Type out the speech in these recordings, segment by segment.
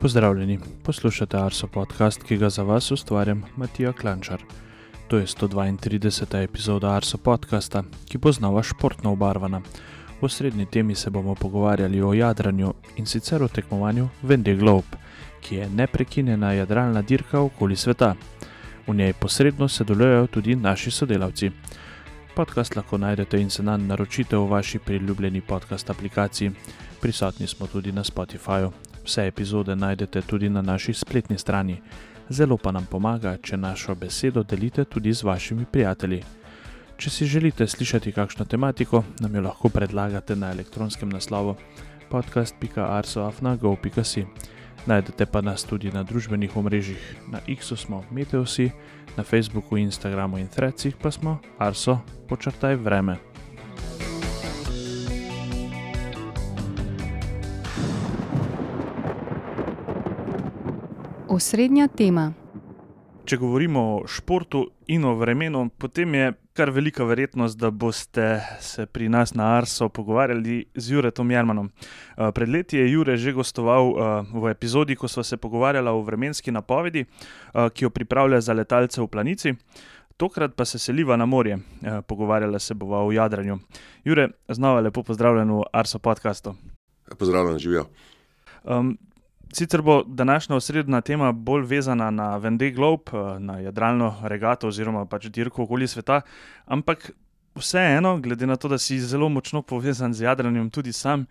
Pozdravljeni, poslušate Arso podcast, ki ga za vas ustvarjam Matija Klančar. To je 132. epizoda Arso podcasta, ki bo znova športno obarvana. V osrednji temi se bomo pogovarjali o jadranju in sicer o tekmovanju Vendée Globe, ki je neprekinjena jadralna dirka okoli sveta. V njej posredno sodelujejo tudi naši sodelavci. Podcast lahko najdete in se nanj naročite v vaši priljubljeni podcast aplikaciji. Prisotni smo tudi na Spotifyju. Vse epizode najdete tudi na naši spletni strani. Zelo pa nam pomaga, če našo besedo delite tudi z vašimi prijatelji. Če si želite slišati kakšno tematiko, nam jo lahko predlagate na elektronskem naslovu podcast.arso@go.si. Najdete pa nas tudi na družbenih omrežjih. Na X-u smo Meteosi, na Facebooku, Instagramu in Threadsih pa smo Arso_vreme. Osrednja tema. Če govorimo o športu in o vremenu, potem je kar velika verjetnost, da boste se pri nas na Arso pogovarjali z Juretom Jermanom. Pred leti je Jure že gostoval v epizodi, ko sva se pogovarjala o vremenski napovedi, ki jo pripravlja za letalce v Planici. Tokrat pa se seliva na morje, pogovarjala se bova o jadranju. Jure, znova lepo pozdravljen v Arso podcastu. Pozdravljen, živijo. Sicer bo današnja osrednja tema bolj vezana na Vendée Globe, na jadralno regato oziroma pač dirko okoli sveta, ampak vseeno, glede na to, da si zelo močno povezan z jadranjem tudi sam,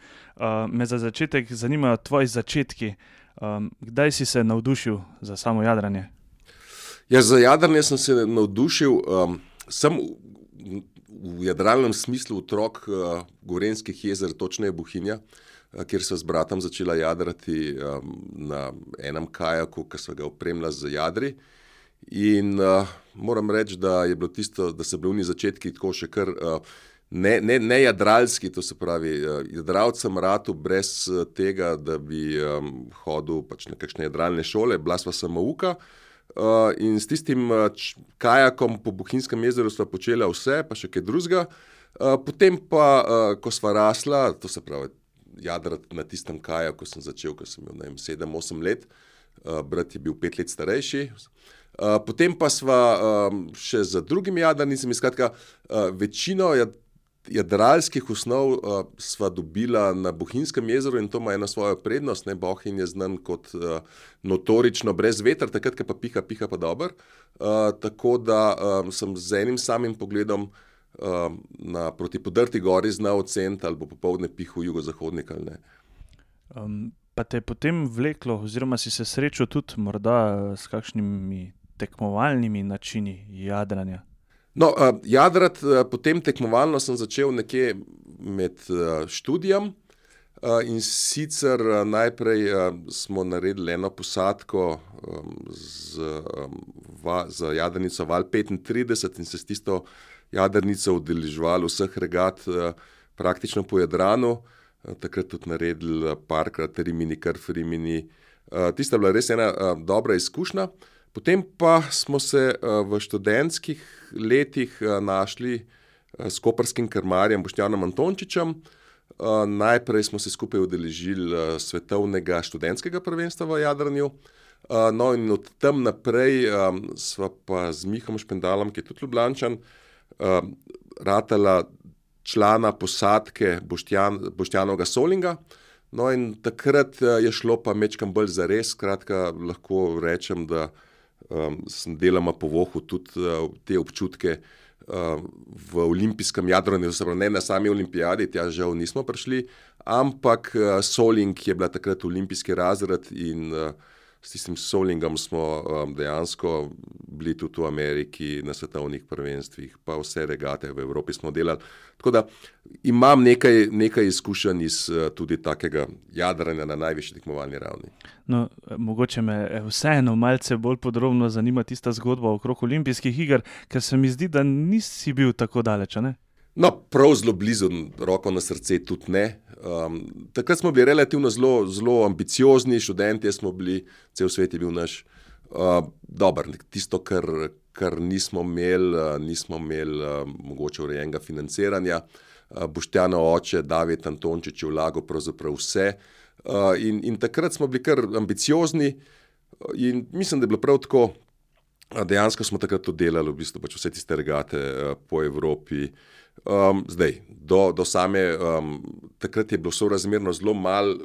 me za začetek zanimajo tvoji začetki. Kdaj si se navdušil za samo jadranje? Ja, za jadranje sem se navdušil, sem v jadralnem smislu otrok Gorenjskih jezer, točneje Bohinja, kjer sva s bratom začela jadrati na enem kajaku, ki sva ga opremila z jadri. In moram reči, da je bilo tisto, da so bili oni začetki tako še kar ne jadralski, to se pravi, jadralcem ratu brez tega, da bi hodil pač na kakšne jadralne šole, bila sva samouka. In s tistim kajakom po Bohinjskem jezeru sva počela vse, pa še kaj drugega. Potem pa, ko sva rasla, to se pravi, jadrati na tistem kajaku sem začel, ko sem imel 7-8 let, brat je bil 5 let starejši. Potem pa sva še za drugimi jadrnicami, skratka, večino jadralskih osnov sva dobila na Bohinjskem jezeru in to ima eno svojo prednost. Bohinj je znan kot notorično brez vetra, takrat, ko pa piha pa dober. Tako da sem z enim samim pogledom proti Podrti gori znal oceniti, ali bo popoldne pihal jugozahodnik ali ne. Pa te je potem vleklo, oziroma si se srečal tudi morda s kakšnimi tekmovalnimi načini jadranja? No, jadrati potem tekmovalno sem začel nekje med študijem in sicer najprej smo naredili eno posadko za jadrnico Val 35 in se s tisto jadrnico udeleževali vseh regat praktično po Jadranu. Takrat tudi naredili parkrat Rimini, Krf Rimini. Tista je bila res ena dobra izkušnja. Potem pa smo se v študentskih letih našli s koprskim krmarjem Boštjanom Antončičem. Najprej smo se skupaj udeležili svetovnega študentskega prvenstva v jadranju. No in od tam naprej sva pa z Mihom Špendalom, ki je tudi Ljubljančan, ratala člana posadke Boštjanovega Solinga. No in takrat je šlo pa mečkam bolj zares, skratka lahko rečem, da sem deloma povohal tudi te občutke v olimpijskem jadranju, ne na sami olimpijadi, tja žal nismo prišli, ampak Soling je bila takrat olimpijski razred in s tistim Solingom smo dejansko bili tudi v Ameriki na svetovnih prvenstvih, pa vse regate v Evropi smo delali. Tako da imam nekaj izkušenj iz tudi takega jadranja na najvišji tekmovalni ravni. No, mogoče me vseeno malce bolj podrobno zanima tista zgodba okrog olimpijskih iger, ker se mi zdi, da nisi bil tako daleč, ne? No, prav zelo blizu, roko na srce tudi ne. Takrat smo bili relativno zelo ambiciozni, študentje smo bili, cel svet je bil naš. Tisto, kar nismo imeli mogoče urejenega financiranja. Boštjanov oče, David Antončič, je vlagal pravzaprav vse. In takrat smo bili kar ambiciozni in mislim, da je bilo prav tako. Dejansko smo takrat to delali, v bistvu pač vse tiste regate po Evropi. Zdaj, do same, takrat je bilo sorazmerno zelo malo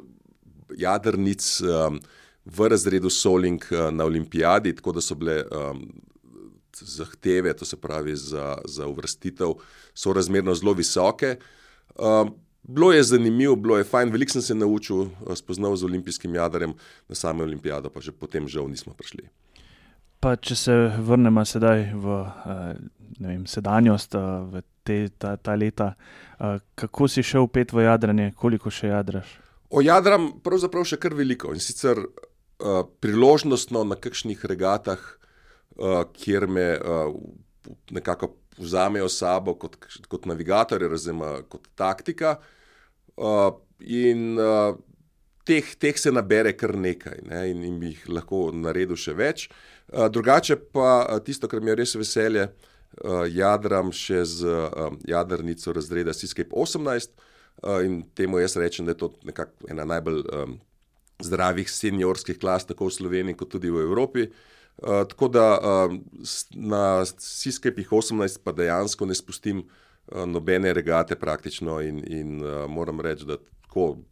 jadrnic v razredu Soling na olimpijadi, tako da so bile zahteve, to se pravi za uvrstitev, sorazmerno zelo visoke. Bilo je zanimivo, bilo je fajn, veliko sem se naučil, spoznal z olimpijskim jadarjem, na same olimpijado pa že potem žal nismo prišli. Pa če se vrnemo sedaj v sedanjost, v ta leta, kako si šel pet v jadranje, koliko še jadraš? Jadram pravzaprav še kar veliko in sicer priložnostno na kakšnih regatah, kjer me nekako vzamejo sabo kot navigatorja, kot taktika in teh se nabere kar nekaj, ne, in bi jih lahko naredil še več. Drugače pa tisto, kar mi je res veselje, jadram še z jadrnico razreda Seascape 18 in temu jaz rečem, da je to nekako ena najbolj zdravih seniorskih klas, tako v Sloveniji kot tudi v Evropi. Tako da na Seascape 18 pa dejansko ne spustim nobene regate praktično in moram reči, da tako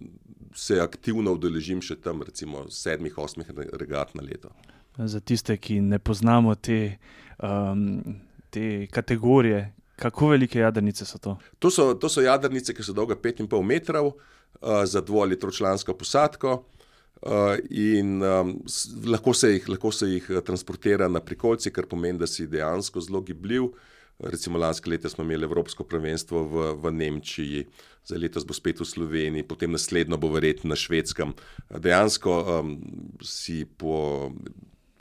se aktivno udeležim še tam recimo 7-8 regat na leto. Za tiste, ki ne poznamo te kategorije, kako velike jadrnice so to? To so jadrnice, ki so dolga 5,5 metrov za 2- ali 3-člansko posadko in lahko se jih transportira na prikolici, kar pomeni, da si dejansko zelo gibljiv. Recimo lansko leto smo imeli Evropsko prvenstvo v Nemčiji, za letos bo spet v Sloveniji, potem naslednjo bo verjetno na Švedskem. Dejansko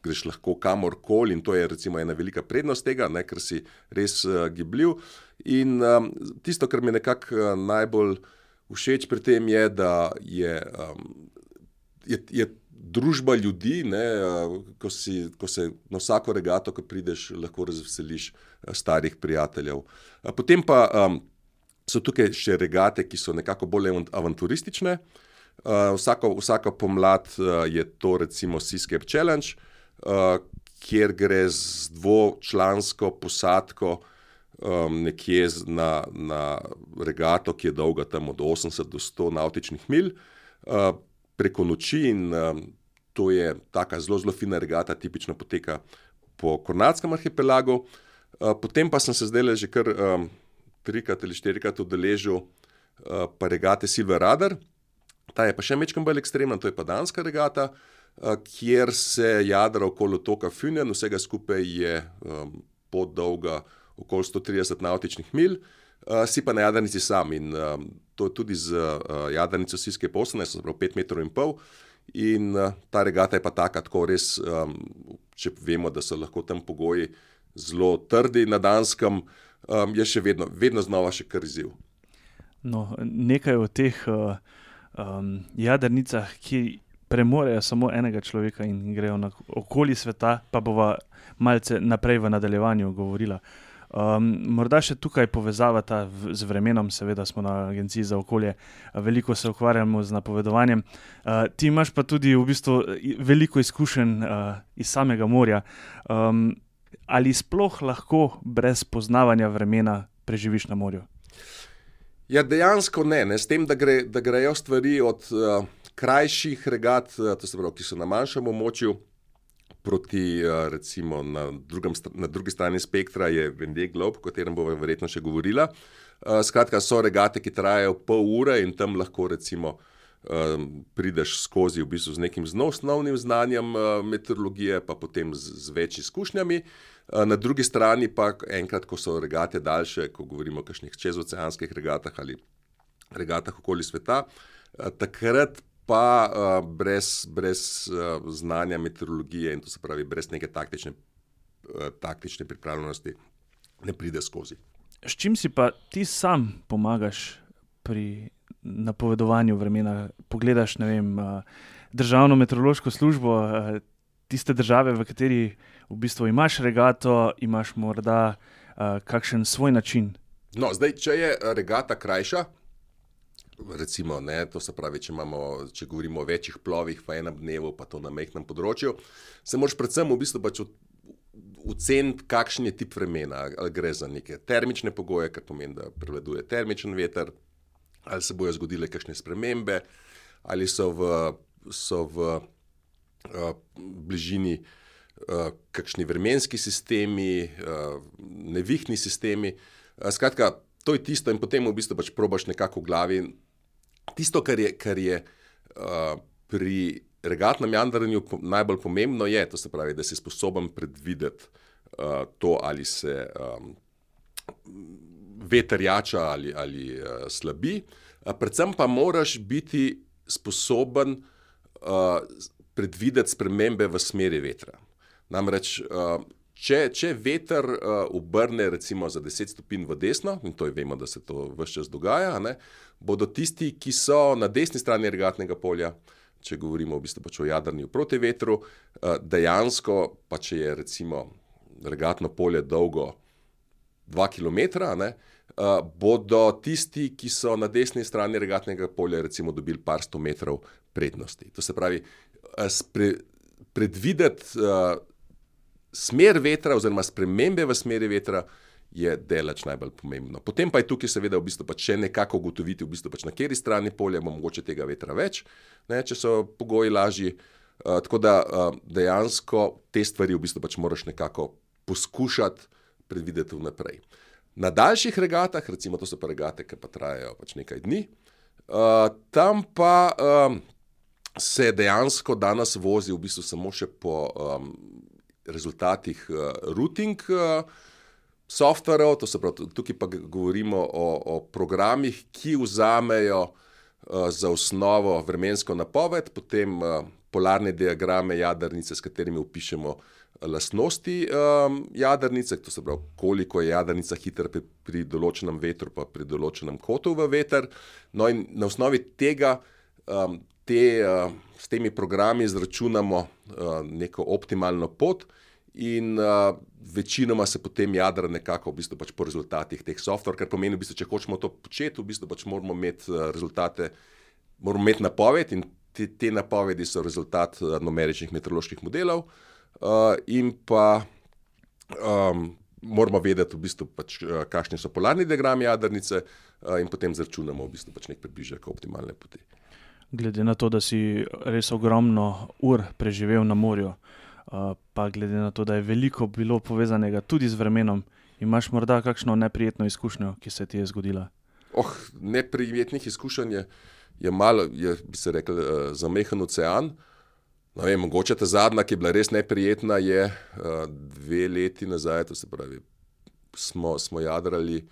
greš lahko kamorkoli in to je recimo ena velika prednost tega, ne, ker si res gibljiv. In tisto, kar mi nekako najbolj všeč pri tem je, da je družba ljudi, ne, ko se na vsako regato, ko prideš, lahko razveseliš starih prijateljev. Potem pa so tukaj še regate, ki so nekako bolj avanturistične. Vsaka pomlad je to recimo Seascape Challenge, kjer gre z 2-člansko posadko nekje na regato, ki je dolga tam od 80 do 100 navtičnih milj, preko noči in to je taka zelo fina regata, tipično poteka po Kornatskem arhipelagu. Potem pa sem se zdajle že kar 3 ali 4 udeležil pa regate Silver Radar. Ta je pa še majčkeno bolj ekstremna, to je pa danska regata, kjer se jadra okoli otoka Funen, vsega skupaj je pot dolga okoli 130 navtičnih milj, si pa na jadrnici sam in to je tudi z jadrnico Seascape 18, se pravi 5,5 metrov in ta regata je pa taka, tako res, če vemo, da so lahko tam pogoji zelo trdi na Danskem, je še vedno znova še kar izziv. No, nekaj o teh jadrnicah, ki premorejo samo enega človeka in grejo okoli sveta, pa bova malce naprej v nadaljevanju govorila. Morda še tukaj povezava z vremenom, seveda smo na Agenciji za okolje, veliko se ukvarjamo z napovedovanjem. Ti imaš pa tudi v bistvu veliko izkušenj iz samega morja. Ali sploh lahko brez poznavanja vremena preživiš na morju? Ja, dejansko ne, s tem, da grejo stvari od krajših regat, to se pravi, ki so na manjšem območju, proti recimo na drugi strani spektra je Vendée Globe, o katerem bomo verjetno še govorila. Skratka, so regate, ki trajajo pol ure in tam lahko recimo prideš skozi v bistvu z nekim osnovnim znanjem meteorologije, pa potem z več izkušnjami. Na drugi strani pa enkrat, ko so regate daljše, ko govorimo o kakšnih čezoceanskih regatah ali regatah okoli sveta, takrat pa brez znanja meteorologije in to se pravi brez neke taktične pripravljenosti ne pride skozi. S čim si pa ti sam pomagaš pri napovedovanju vremena? Pogledaš, ne vem, državno meteorološko službo tiste države, v kateri v bistvu imaš regato, imaš morda kakšen svoj način? No, zdaj, če je regata krajša, recimo, ne, to se pravi, če govorimo o večjih plovih v enem dnevu, pa to na majhnem področju, se moraš predvsem v bistvu pač oceniti, kakšen je tip vremena, ali gre za neke termične pogoje, kar pomeni, da prevladuje termičen veter, ali se bojo zgodile kakšne spremembe, ali so v bližini kakšni vremenski sistemi, nevihni sistemi. Skratka, to je tisto in potem v bistvu pač probaš nekako v glavi. Tisto, kar je pri regatnem jadranju najbolj pomembno je, to se pravi, da si sposoben predvideti to, ali se veter jača ali slabi. Predvsem pa moraš biti sposoben predvideti spremembe v smeri vetra. Namreč, če veter obrne recimo za 10 stopinj v desno, in to vemo, da se to ves čas dogaja, ne, bodo tisti, ki so na desni strani regatnega polja, če govorimo v bistvu pač o jadranju proti vetru, dejansko, pa če je recimo regatno polje dolgo 2 kilometra, ne, bodo tisti, ki so na desni strani regatnega polja, recimo dobili par 100 metrov prednosti. To se pravi, predvideti smer vetra oziroma spremembe v smeri vetra je daleč najbolj pomembno. Potem pa je tukaj seveda v bistvu pač še nekako ugotoviti v bistvu pač na kateri strani polja bo mogoče tega vetra več, ne, če so pogoji lažji. Tako da dejansko te stvari v bistvu pač moraš nekako poskušati predvideti vnaprej. Na daljših regatah, recimo to so pa regate, ki pa trajajo pač nekaj dni, tam pa se dejansko danes vozi v bistvu samo še po rezultatih routing softverov, to se pravi, tukaj pa govorimo o programih, ki vzamejo za osnovo vremensko napoved, potem polarne diagrame jadrnice, s katerimi opišemo lastnosti jadrnice, to se pravi, koliko je jadrnica hitra pri določenem vetru, pa pri določenem kotu v veter. No in na osnovi tega s temi programi izračunamo neko optimalno pot in večinoma se potem jadra nekako v bistvu pač po rezultatih teh software, kar pomeni v bistvu, če hočemo to početi, v bistvu pač moramo imeti rezultate, moramo imeti napoved in te napovedi so rezultat numeričnih meteoroloških modelov in pa moramo vedeti v bistvu pač, kakšni so polarni diagrami jadrnice in potem zračunamo v bistvu pač nek približek optimalne poti. Glede na to, da si res ogromno ur preživel na morju, pa glede na to, da je veliko bilo povezanega tudi z vremenom, imaš morda kakšno neprijetno izkušnjo, ki se ti je zgodila? Neprijetnih izkušenj je malo, bi se rekel, zamehen ocean. No, mogoče ta zadnja, ki je bila res neprijetna, je 2 leti nazaj, to se pravi, smo jadrali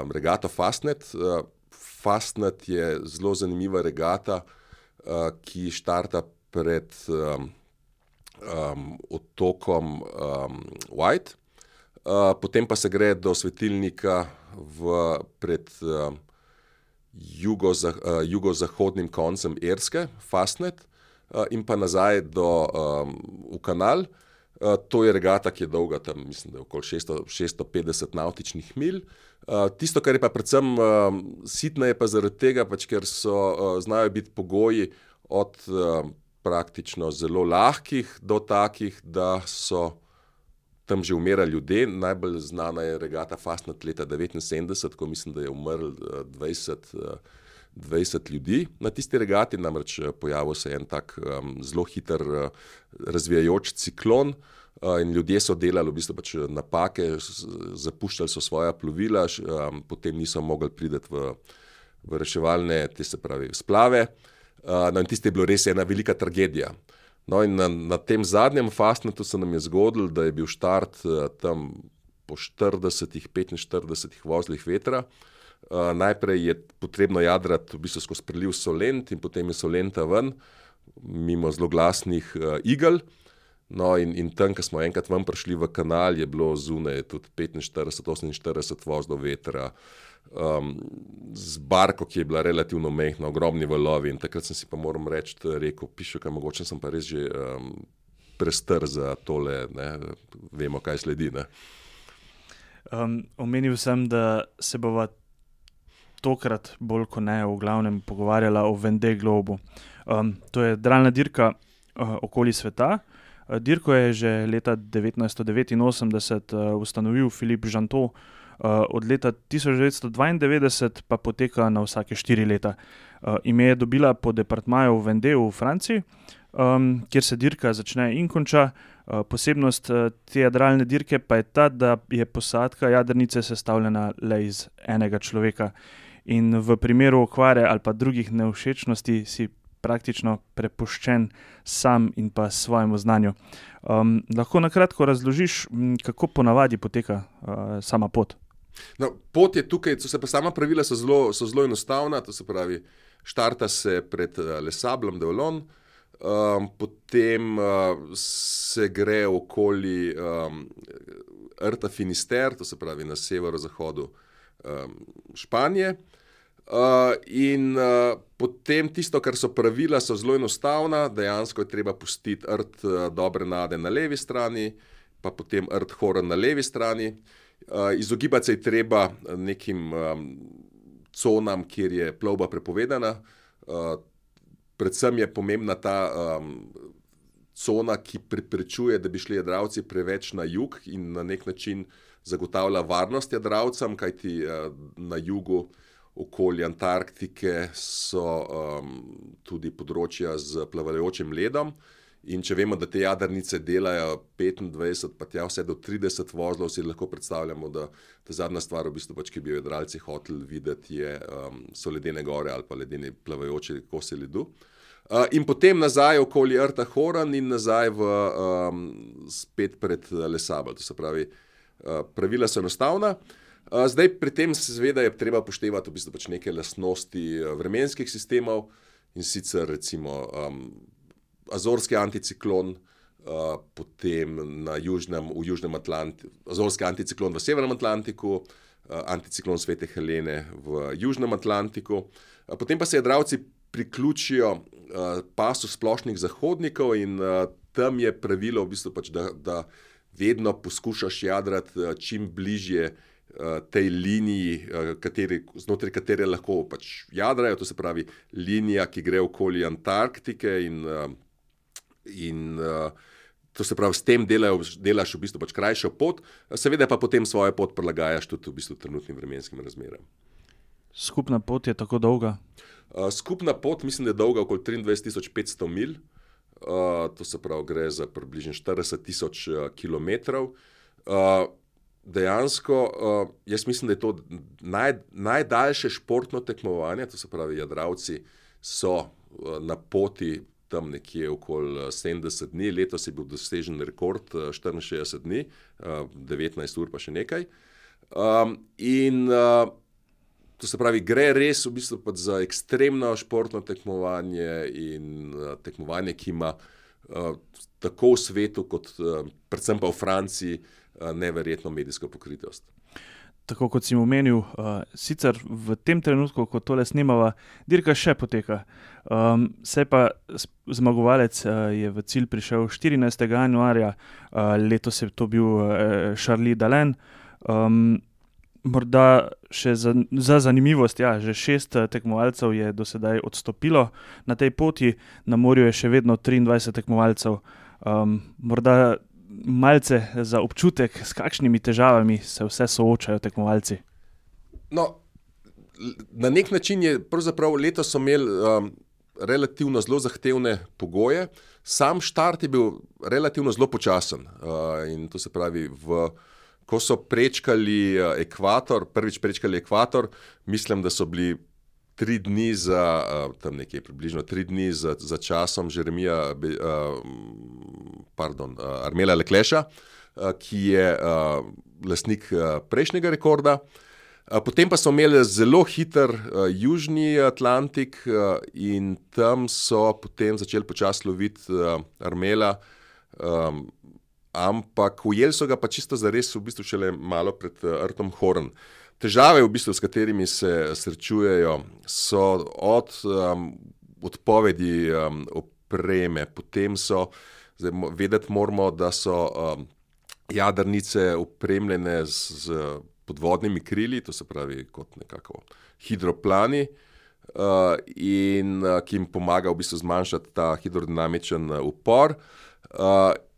regato Fastnet. Fastnet je zelo zanimiva regata, ki štarta pred otokom White, potem pa se gre do svetilnika pred jugozahodnim koncem Irske, Fastnet, in pa nazaj v kanal. To je regata, ki je dolga tam, mislim, da je okoli 650 navtičnih milj. Tisto, kar je pa predvsem sitno, je pa zaradi tega, pač, ker znajo biti pogoji od praktično zelo lahkih do takih, da so tam že umirali ljudje. Najbolj znana je regata Fastnet leta 1979, ko mislim, da je umrl 20 ljudi na tisti regati, namreč pojavil se en tak zelo hiter razvijajoč ciklon in ljudje so delali v bistvu pač napake, zapuščali so svoja plovila, potem niso mogli priti v reševalne, te se pravi, splave. No in tisti je bilo res ena velika tragedija. No in na tem zadnjem Fastnetu se nam je zgodilo, da je bil štart tam po 40-45 vozlih vetra. Najprej je potrebno jadrati v bistvu skozi preliv Solent in potem je Solenta ven, mimo zelo glasnih igel. No in tam, ko smo enkrat ven prišli v kanal, je bilo zunaj tudi 45-48 vozlov vetra, z barko, ki je bila relativno majhna, ogromni valovi in takrat sem si pa moram rekel, pišel, kaj mogoče sem pa res že prestar za tole, ne, vemo, kaj sledi, ne. Omenil sem, da se bova tokrat bolj kot ne v glavnem pogovarjala o Vendée Globu. To je jadralna dirka okoli sveta. Dirko je že leta 1989 ustanovil Philippe Gentot, od leta 1992 pa poteka na vsake 4 leta. Ime je dobila po departmaju Vendée v Franciji, kjer se dirka začne in konča. Posebnost te jadralne dirke pa je ta, da je posadka jadrnice sestavljena le iz enega človeka. In v primeru okvare ali pa drugih nevšečnosti si praktično prepuščen sam in pa svojemu znanju. Lahko na kratko razložiš, kako ponavadi poteka sama pot? No, pot je tukaj, sama pravila so zelo enostavna, to se pravi, štarta se pred Les Sables d'Olonne, potem se gre okoli Rta Finisterre, to se pravi na severozahodu Španije, in potem tisto, kar so pravila, so zelo enostavna, dejansko je treba pustiti Rt Dobre nade na levi strani, pa potem Rt Horon na levi strani. Izogibati se je treba nekim conam, kjer je plovba prepovedana. Predvsem je pomembna ta cona, ki preprečuje, da bi šli jadralci preveč na jug in na nek način zagotavlja varnost jadralcem, kajti na jugu okoli Antarktike so tudi področja z plavajočim ledom. In če vemo, da te jadrnice delajo 25, pa tja vse do 30 vozlov, si lahko predstavljamo, da ta zadnja stvar, v bistvu, ki bi jo jadralci hoteli videti, so ledene gore ali pa ledeni plavajoči kosi ledu. In potem nazaj okoli Rta Horon in nazaj spet pred Les Sables. To se pravi, pravila so enostavna. Zdaj pri tem seveda je treba upoštevati v bistvu neke lastnosti vremenskih sistemov, in sicer recimo azorski anticiklon, potem v južnem Atlantiku, azorski anticiklon v severnem Atlantiku, anticiklon Svete Helene v južnem Atlantiku. Potem pa se jadralci priključijo pasu splošnih zahodnikov in tam je pravilo v bistvu da vedno poskušaš jadrati čim bližje tej liniji, znotraj katere lahko jadrajo, to se pravi linija, ki gre okoli Antarktike in to se pravi, s tem delaš v bistvu krajšo pot, seveda pa potem svojo pot prilagajaš tudi v bistvu trenutnim vremenskim razmeram. Skupna pot je tako dolga? Skupna pot mislim, da je dolga okoli 23.500 milj, to se pravi, gre za približno 40.000 kilometrov. Dejansko, jaz mislim, da je to najdaljše športno tekmovanje, to se pravi, jadralci so na poti tam nekje okoli 70 dni, letos je bil dosežen rekord 64 dni, 19 ur pa še nekaj. In to se pravi, gre res v bistvu za ekstremno športno tekmovanje in tekmovanje, ki ima tako v svetu, kot predvsem pa v Franciji, neverjetno medijsko pokritost. Tako kot si omenil, sicer v tem trenutku, ko tole snemava, dirka še poteka. Se pa zmagovalec je v cilj prišel 14. januarja, letos je to bil Charlie Dalin. Morda še za zanimivost, že 6 tekmovalcev je do sedaj odstopilo na tej poti, na morju je še vedno 23 tekmovalcev. Morda malce za občutek, s kakšnimi težavami se vse soočajo tekmovalci? No, na nek način je pravzaprav letos so imeli relativno zelo zahtevne pogoje. Sam štart je bil relativno zelo počasen. In to se pravi, ko so prečkali ekvator, prvič prečkali ekvator, mislim, da so bili 3 dni tam nekje približno 3 dni za časom Armela Leclerca, ki je lastnik prejšnjega rekorda. Potem pa so imeli zelo hiter južni Atlantik in tam so potem začeli počasi loviti Armela, ampak ujeli so ga pa čisto zares v bistvu šele malo pred Rtom Horon. Težave, v bistvu, s katerimi se srečujejo, so od odpovedi opreme, potem vedeti moramo, da so jadrnice opremljene po podvodnimi krili, to se pravi kot nekako hidroplani, in ki jim pomaga v bistvu zmanjšati ta hidrodinamičen upor.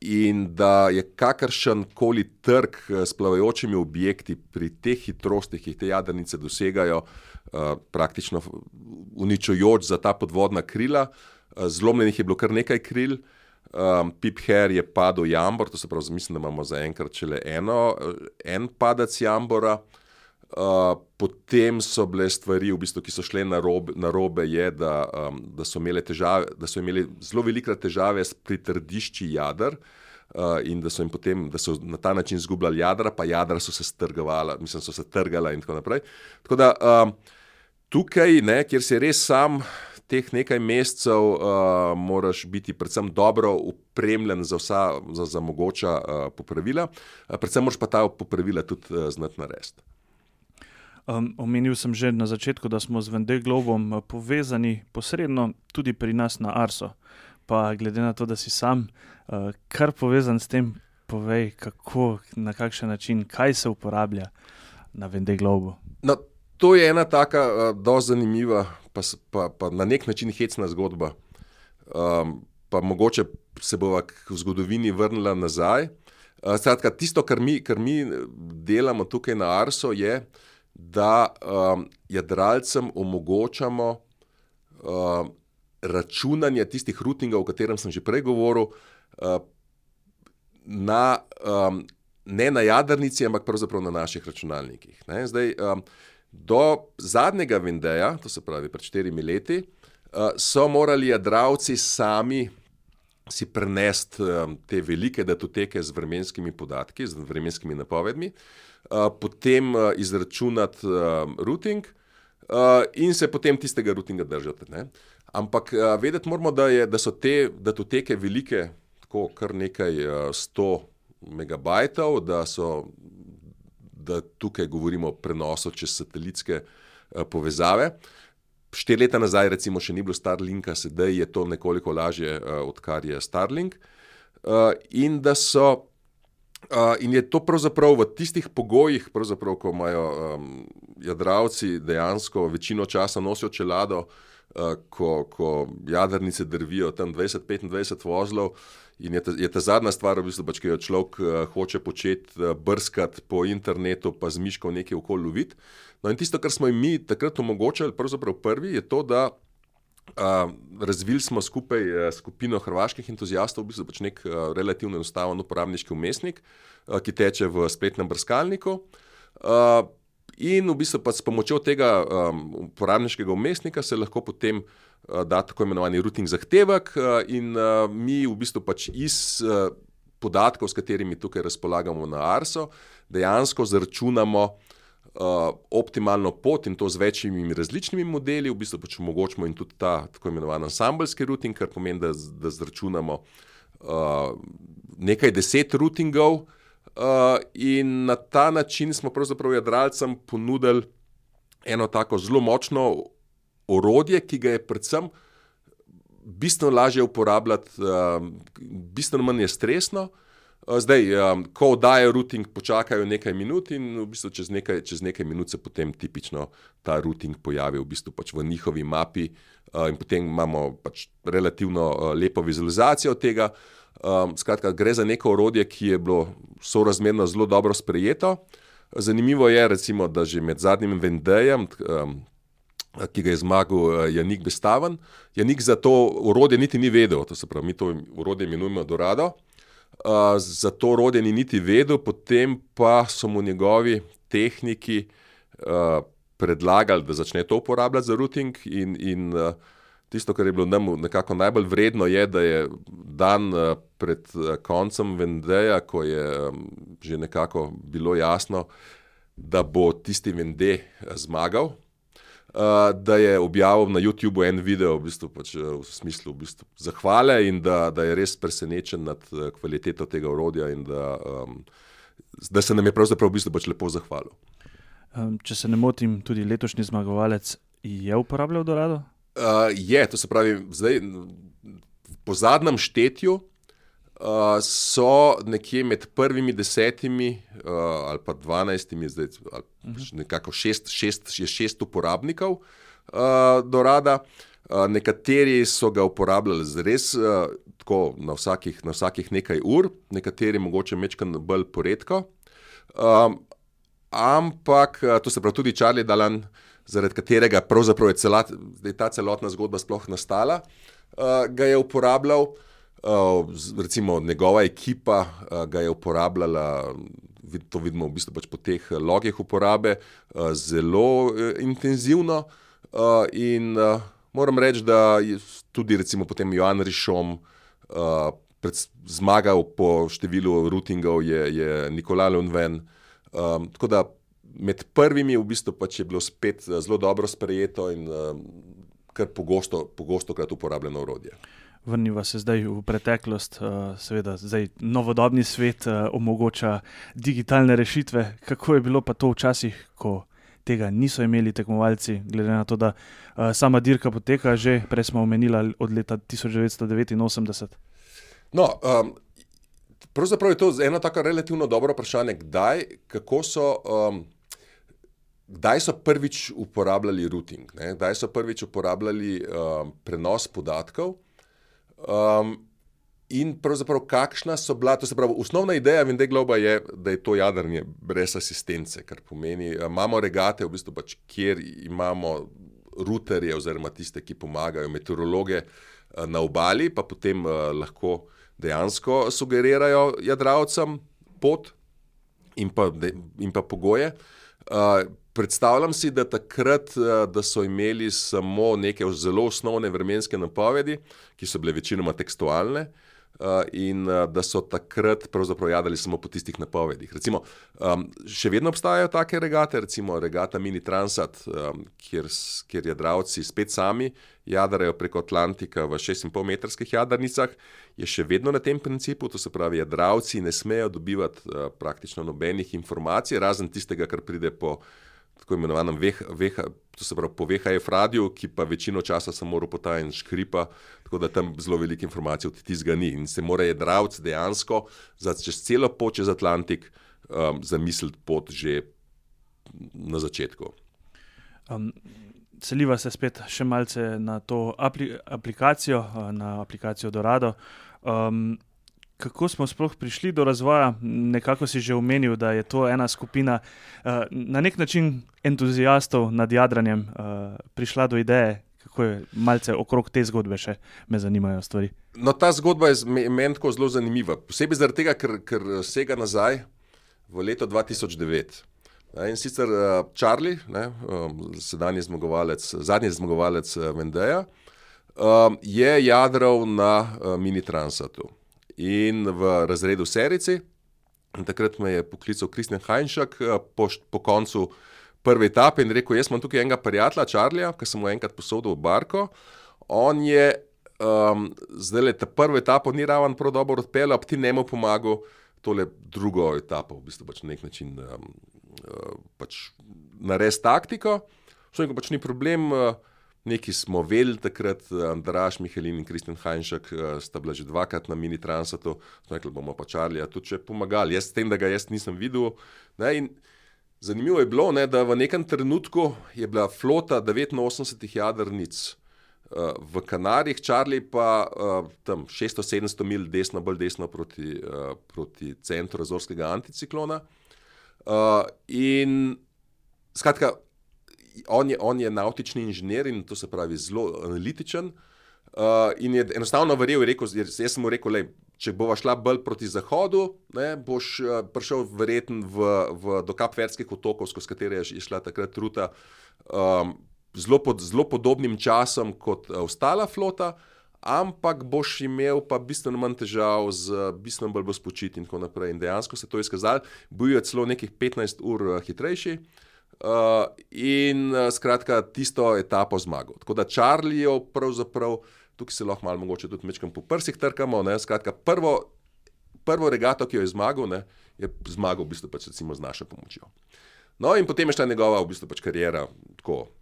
In da je kakršen koli trk s plavajočimi objekti pri teh hitrostih, ki jih te jadrnice dosegajo, praktično uničujoč za ta podvodna krila. Zlomljenih je bilo kar nekaj kril, Pip Hare je padel jambor, to se pravi, mislim, da imamo zaenkrat šele en padec jambora. Potem so bile stvari, v bistvu, ki so šle narobe, je, da so imeli zelo velikrat težave s pritrdišči jader, in da so na ta način izgubljali jadra, pa jadra so se trgala in tako naprej. Tako da tukaj, kjer si res sam teh nekaj mesecev, moraš biti predvsem dobro opremljen za mogoča popravila, predvsem moraš pa ta popravila tudi znati narediti. Omenil sem že na začetku, da smo z Vendée Globom povezani posredno tudi pri nas na Arso. Pa glede na to, da si sam kar povezan s tem, povej, kako, na kakšen način, kaj se uporablja na Vendée Globu. No, to je ena taka dosti zanimiva, pa na nek način hecna zgodba. Pa mogoče se bova v zgodovini vrnila nazaj. Skratka, tisto, kar mi delamo tukaj na Arso, je, da jadralcem omogočamo računanje tistih routingov, o katerem sem že prej govoril, ne na jadrnici, ampak pravzaprav na naših računalnikih. Zdaj, do zadnjega Vendéja, to se pravi pred 4 leti, so morali jadralci sami si prenesti te velike datoteke z vremenskimi podatki, z vremenskimi napovedmi, potem izračunati routing in se potem tistega routinga držati. Ampak vedeti moramo, da so te datoteke velike, tako kar nekaj 100 megabajtov, da tukaj govorimo o prenosu čez satelitske povezave. 4 leta nazaj recimo še ni bilo Starlinka, sedaj je to nekoliko lažje, odkar je Starlink. In je to pravzaprav v tistih pogojih, ko imajo jadralci dejansko večino časa nosijo čelado, ko jadrnice drvijo tam 20-25 vozlov, in je ta zadnja stvar, v bistvu, ki jo človek hoče početi, brskati po internetu, pa z miško nekaj okoli loviti. No, in tisto, kar smo jim mi takrat omogočali, pravzaprav prvi, je to, da razvili smo skupaj skupino hrvaških entuziastov, v bistvu nek relativno enostaven uporabniški vmesnik, ki teče v spletnem brskalniku. In v bistvu s pomočjo tega uporabniškega vmesnika se lahko potem da tako imenovani routing zahtevek, in mi v bistvu iz podatkov, s katerimi tukaj razpolagamo na Arso, dejansko zaračunamo optimalno pot, in to z večjimi različnimi modeli, v bistvu omogočimo in tudi ta tako imenovan ansambelski routing, kar pomeni, da zaračunamo nekaj 10 routingov, in na ta način smo pravzaprav jadralcem ponudili eno tako zelo močno orodje, ki ga je predvsem bistveno lažje uporabljati, bistveno manj je stresno. Zdaj, ko oddajo routing, počakajo nekaj minut in v bistvu čez nekaj minut se potem tipično ta routing pojavi v bistvu v njihovi mapi, in potem imamo relativno lepo vizualizacijo tega. Skratka, gre za neko orodje, ki je bilo sorazmerno zelo dobro sprejeto. Zanimivo je recimo, da že med zadnjim Vendéjem, ki ga je zmagal Jannik Bestaven, Jannik za to orodje niti ni vedel, to se pravi, mi to orodje imenujemo Dorado. Za to orodje ni niti vedel, potem pa so mu njegovi tehniki predlagali, da začne to uporabljati za routing, in tisto, kar je bilo nam nekako najbolj vredno, je, da je dan pred koncem Vendéja, ko je že nekako bilo jasno, da bo tisti Vendée zmagal, da je objavil na YouTubeu en video v smislu zahvale, in da je res presenečen nad kvaliteto tega orodja, in da se nam je pravzaprav lepo zahvalil. Če se ne motim, tudi letošnji zmagovalec je uporabljal Dorado? Je, to se pravi, zdaj po zadnjem štetju so nekje med prvimi 10 ali pa 12, zdaj nekako 6 uporabnikov do rada. Nekateri so ga uporabljali res tako na vsakih nekaj ur, nekateri mogoče majčkeno bolj poredko. Ampak, to se pravi tudi Charlie Dalan, zaradi katerega pravzaprav je ta celotna zgodba sploh nastala, ga je uporabljal. Recimo njegova ekipa ga je uporabljala, to vidimo v bistvu pač po teh logih uporabe, zelo intenzivno in moram reči, da je tudi recimo potem Joan Richomme zmagal po številu routingov je Nicolas Lanvin. Tako da med prvimi v bistvu pač je bilo spet zelo dobro sprejeto in kar pogostokrat uporabljeno orodje. Vrniva se zdaj v preteklost, seveda zdaj novodobni svet omogoča digitalne rešitve. Kako je bilo pa to včasih, ko tega niso imeli tekmovalci, glede na to, da sama dirka poteka že, prej smo omenila, od leta 1989? No, pravzaprav je to eno tako relativno dobro vprašanje, kdaj so prvič uporabljali routing, ne? Kdaj so prvič uporabljali prenos podatkov. In pravzaprav kakšna so bila, to se pravi, osnovna ideja Vendée Globa je, da je to jadranje brez asistence, kar pomeni, imamo regate, v bistvu pač, kjer imamo routerje oziroma tiste, ki pomagajo, meteorologe na obali, pa potem lahko dejansko sugerirajo jadralcem pot in pa pogoje. Predstavljam si, da takrat, da so imeli samo neke zelo osnovne vremenske napovedi, ki so bile večinoma tekstualne, in da so takrat pravzaprav jadrali samo po tistih napovedih. Recimo, še vedno obstajajo take regate, recimo regata Mini Transat, kjer jadralci spet sami jadrajo preko Atlantika v 6,5-metrskih jadrnicah, je še vedno na tem principu, to se pravi, jadralci ne smejo dobivati praktično nobenih informacij, razen tistega, kar pride po tako imenovanem to se pravi po VHF radiju, ki pa večino časa samo ropota in škripa, tako da tam zelo veliko informacij od tistega ni. In se mora jadralec dejansko čez celo pot čez Atlantik zamisliti pot že na začetku. Seliva se spet še malce na to aplikacijo, na aplikacijo Dorado. Kako smo sploh prišli do razvoja? Nekako si že omenil, da je to ena skupina na nek način entuziastov nad jadranjem prišla do ideje. Kako je malce okrog te zgodbe še me zanimajo stvari? No, ta zgodba je meni tako zelo zanimiva. Posebej zaradi tega, ker sega nazaj v leto 2009. In sicer Charlie, zadnji zmagovalec Vendéja, je jadral na Mini Transatu in v razredu serijci. Takrat me je poklical Christian Heinšak po koncu prve etape in rekel, jaz imam tukaj enega prijatelja, Charlija, ki sem mu enkrat posodil v barko. On je zdajle ta prvo etapo ni ravno prav dobro odpeljal, pa ti njemu pomagal tole drugo etapo, v bistvu pač na nek način pač narediti taktiko. Še pač ni problem, neki smo vedeli takrat, Andraž Mihelin in Christian Heinšak sta bila že dvakrat na Mini Transatu, smo rekli, bomo pa Charlija tudi še pomagali. Jaz s tem, da ga jaz nisem videl. In zanimivo je bilo, da v nekem trenutku je bila flota 89 jadrnic v Kanarjih, Charlie pa tam 600-700 mil bolj desno proti centru Azorskega anticiklona. In skratka, on je navtični inženir in to se pravi zelo analitičen in je enostavno verjel, jaz sem mu rekel, če bova šla bolj proti zahodu, boš prišel verjetno do Kapverdskih otokov, skozi katere je šla takrat ruta, zelo podobnim časom kot ostala flota, ampak boš imel pa bistveno manj težav, bistveno bolj bo spočit in tako naprej. In dejansko se to je izkazalo, bil je celo nekih 15 ur hitrejši in skratka tisto etapo zmagal. Tako da Charliejo pravzaprav, tukaj se lahko malo mogoče tudi mečkam po prsih trkamo, skratka prvo regato, ki jo je zmagal, je zmagal v bistvu pač recimo z našo pomočjo. No in potem je šla njegova v bistvu pač kariera tako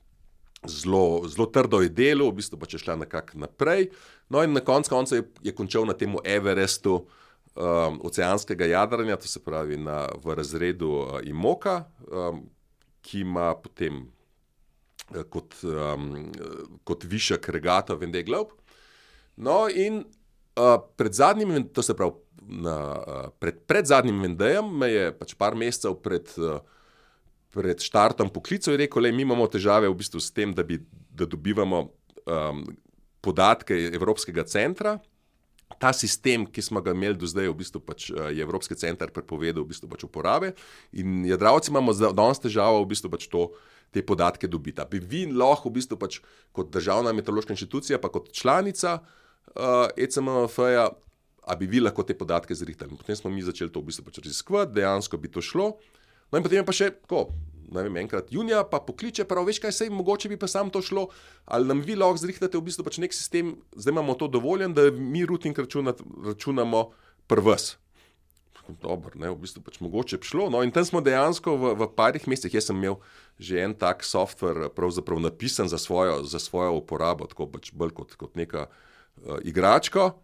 zelo trdo je delal, v bistvu pa če šla nekako naprej. No in na koncu je končal na tem Everestu oceanskega jadranja, to se pravi v razredu IMOCA, ki ima potem kot višek regata Vendée Globe. No in pred zadnjim, to se pravi pred zadnjim Vendéjem me je pač par mesecev pred štartom poklical in rekel, mi imamo težave v bistvu s tem, da dobivamo podatke Evropskega centra. Ta sistem, ki smo ga imeli do zdaj, v bistvu pač je Evropski center prepovedal v bistvu pač uporabe in jadralci imamo danes težavo v bistvu pač te podatke dobiti. Bi vi lahko v bistvu pač kot državna meteorološka inštitucija pa kot članica ECMMF-ja, a bi vi lahko te podatke zrihtali. Potem smo mi začeli to v bistvu pač raziskovati, dejansko bi to šlo. No in potem je pa še tako, enkrat junija pa pokliče, prav veš kaj, mogoče bi pa sam to šlo, ali nam vi lahko zrihtate v bistvu pač nek sistem, zdaj imamo to dovoljen, da mi routing računamo prvs. Dobro, v bistvu pač mogoče bi šlo. No in tam smo dejansko v parih mesecih, jaz sem imel že en tak software pravzaprav napisan za svojo uporabo, tako pač bolj kot neka igračka,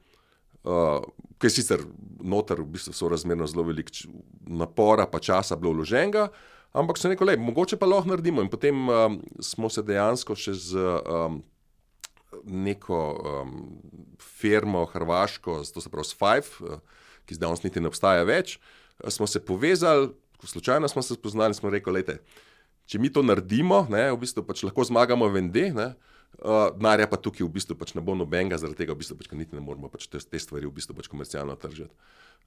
ki je sicer noter v bistvu sorazmerno zelo veliko napora pa časa bilo vloženega, ampak sem rekel, mogoče pa lahko naredimo. In potem smo se dejansko še z neko firmo hrvaško, to se pravi s Five, ki zdaj danes niti ne obstaja več, smo se povezali, slučajno smo se spoznali in smo rekli, če mi to naredimo, v bistvu pač lahko zmagamo Vendée, denarja pa tukaj v bistvu pač ne bo nobenega, zaradi tega v bistvu pač niti ne moramo pač te stvari v bistvu pač komercialno tržiti.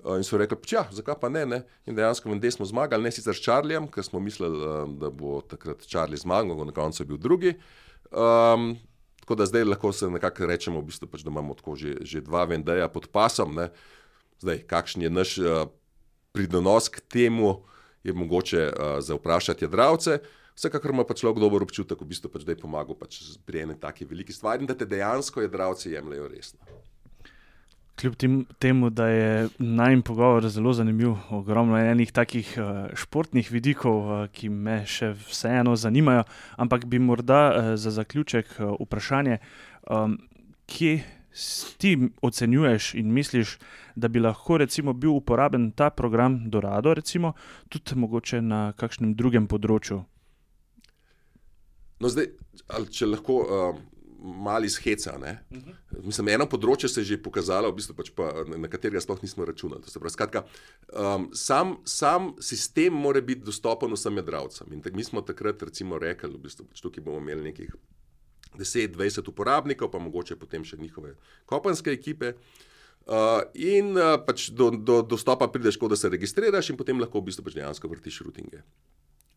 In so rekli, zakaj pa ne? In dejansko Vendée smo zmagali, ne sicer s Charliem, ker smo mislili, da bo takrat Charlie zmagal, na koncu je bil drugi. Tako da zdaj lahko se nekako rečemo v bistvu pač, da imamo tako že dva Vendéja pod pasom, Zdaj, kakšen je naš pridonos k temu, je mogoče za vprašati jadralce. Vsekakor ima pa človek dober občutek, v bistvu pač, da je pomagal pač pri eni taki veliki stvari in da te dejansko jadralci jemljajo resno. Kljub temu, da je najin pogovor zelo zanimiv, ogromno je enih takih športnih vidikov, ki me še vseeno zanimajo, ampak bi morda za zaključek vprašanje, kje ti ocenjuješ in misliš, da bi lahko recimo bil uporaben ta program Dorado, recimo, tudi mogoče na kakšnem drugem področju? No zdaj, če lahko malo iz heca, Mislim, eno področje se je že pokazalo, v bistvu pač pa, na katerega sploh nismo računali. To se pravi, skratka, sam sistem mora biti dostopen vsem jadralcem. In mi smo takrat recimo rekli, v bistvu pač tukaj bomo imeli nekih 10-20 uporabnikov, pa mogoče potem še njihove kopenske ekipe. Pač do dostopa prideš, da se registriraš in potem lahko v bistvu pač dejansko vrtiš routinge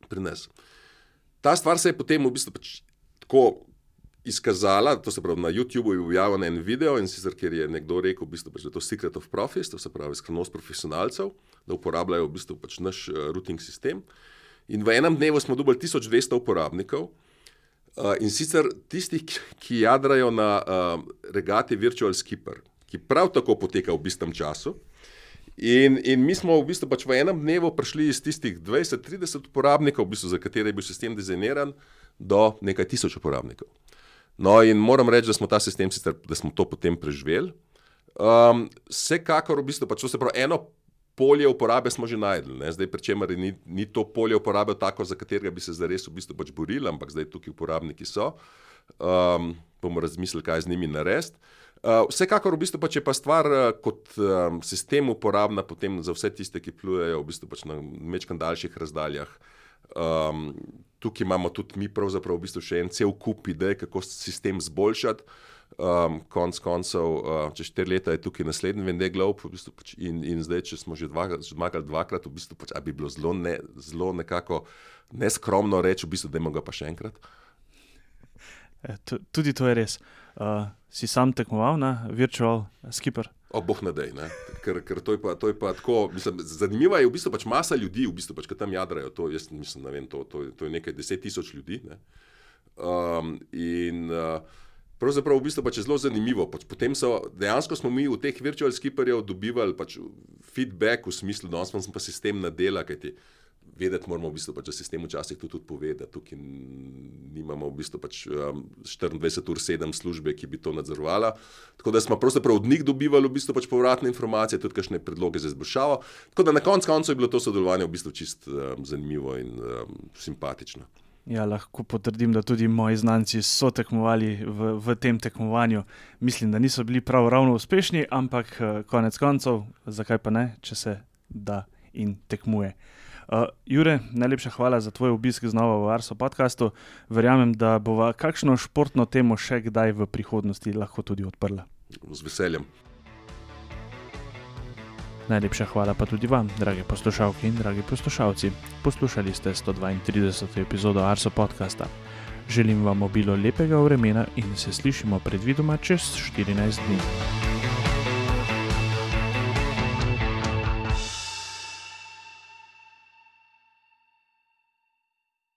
pri nas. Ta stvar se je potem v bistvu pač tako izkazala, to se pravi na YouTubeu je objavljen en video in sicer, kjer je nekdo rekel, v bistvu pač, da je to secret of profis, to se pravi skrivnost profesionalcev, da uporabljajo v bistvu pač naš routing sistem. In v enem dnevu smo dobili 1200 uporabnikov. In sicer tistih, ki jadrajo na regati Virtual Skipper, ki prav tako poteka v bistvu času. In mi smo v bistvu pač v enem dnevu prišli iz tistih 20-30 uporabnikov, v bistvu, za katere je bil sistem dizajniran, do nekaj tisoč uporabnikov. No in moram reči, da smo ta sistem sicer, da smo to potem preživeli. Vsekakor v bistvu pač, to se pravi, eno polje uporabe smo že najdli, Zdaj, pri čemer ni to polje uporabe tako, za katerega bi se zares v bistvu pač borili, ampak zdaj tukaj uporabniki so. Bomo razmislili, kaj z njimi narediti. Vsekakor v bistvu pač je pa stvar kot sistem uporabna potem za vse tiste, ki plujejo v bistvu pač na majčkeno daljših razdaljah. Tukaj imamo tudi mi pravzaprav v bistvu še en cel kup idej, kako sistem zboljšati. Konec koncev, čez 4 leta je tukaj naslednji Vendée Globe v bistvu pač, in zdaj, če smo že zmagali dvakrat, v bistvu pač, bi bilo zelo nekako neskromno reči, v bistvu, dajmo ga pa še enkrat. Tudi to je res. Si sam tekmoval na Virtual Skipper? Boh ne dej, ker to je pa tako, mislim, zanimiva je v bistvu pač masa ljudi, v bistvu pač, ki tam jadrajo, to jaz mislim, ne vem, to je nekaj 10,000 ljudi, pravzaprav v bistvu pač je zelo zanimivo. Potem dejansko smo mi v teh Virtual Skipperjev dobivali pač feedback v smislu, da smo pa sistem nadela, kajti vedeti moramo v bistvu, da sistem včasih to tudi pove, da tukaj nimamo v bistvu 24/7 službe, ki bi to nadzorovala. Tako da smo pravzaprav od njih dobivali v bistvu povratne informacije, tudi kakšne predloge za izboljšavo. Tako da na koncu je bilo to sodelovanje v bistvu čist zanimivo in simpatično. Ja, lahko potrdim, da tudi moji znanci so tekmovali v tem tekmovanju. Mislim, da niso bili ravno uspešni, ampak konec koncev, zakaj pa ne, če se da in tekmuje. Jure, najlepša hvala za tvoj obisk znova v Arso podcastu. Verjamem, da bova kakšno športno temo še kdaj v prihodnosti lahko tudi odprla. Z veseljem. Najlepša hvala pa tudi vam, drage poslušalke in dragi poslušalci. Poslušali ste 132. epizodo Arso podcasta. Želim vam obilo lepega vremena in se slišimo predvidoma čez 14 dni.